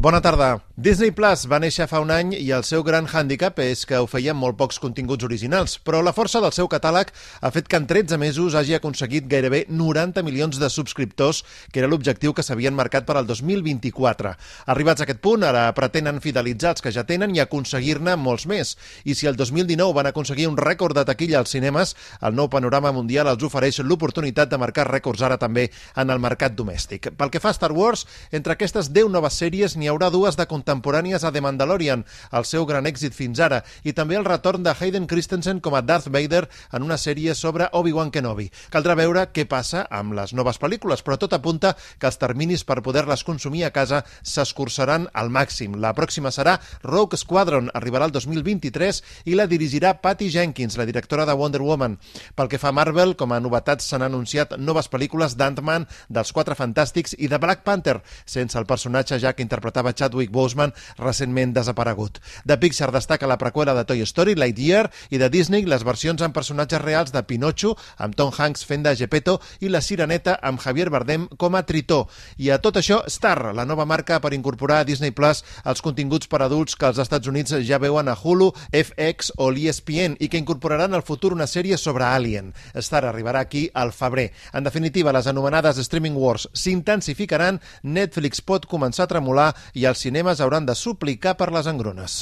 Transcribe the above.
Bona tarda. Disney Plus va néixer fa un any i el seu gran hàndicap és que oferia molt pocs continguts originals, però la força del seu catàleg ha fet que en 13 mesos hagi aconseguit gairebé 90 milions de subscriptors, que era l'objectiu que s'havien marcat per al 2024. Arribats a aquest punt, ara pretenen fidelitzar els que ja tenen i aconseguir-ne molts més. I si el 2019 van aconseguir un rècord de taquilla als cinemes, el nou panorama mundial els ofereix l'oportunitat de marcar rècords ara també en el mercat domèstic. Pel que fa a Star Wars, entre aquestes 10 noves sèries n'hi haurà dues de contemporànies a The Mandalorian, el seu gran èxit fins ara, i també el retorn de Hayden Christensen com a Darth Vader en una sèrie sobre Obi-Wan Kenobi. Caldrà veure què passa amb les noves pel·lícules, però tot apunta que els terminis per poder-les consumir a casa s'escurçaran al màxim. La pròxima serà Rogue Squadron, arribarà el 2023 i la dirigirà Patty Jenkins, la directora de Wonder Woman. Pel que fa a Marvel, com a novetats s'han anunciat noves pel·lícules d'Ant-Man, dels Quatre Fantàstics i de Black Panther, sense el personatge ja que interpretava Chadwick Boseman, recentment desaparegut. De Pixar destaca la preqüela de Toy Story, Lightyear, i de Disney les versions amb personatges reals de Pinocho, amb Tom Hanks fent de Geppetto, i La Sireneta amb Javier Bardem com a Tritó. I a tot això, Star, la nova marca per incorporar a Disney Plus els continguts per adults que als Estats Units ja veuen a Hulu, FX o l'ESPN i que incorporaran al futur una sèrie sobre Alien. Star arribarà aquí al febrer. En definitiva, les anomenades Streaming Wars s'intensificaran, Netflix pot començar a tremolar i els cinemes hauran de suplicar per les engrunes.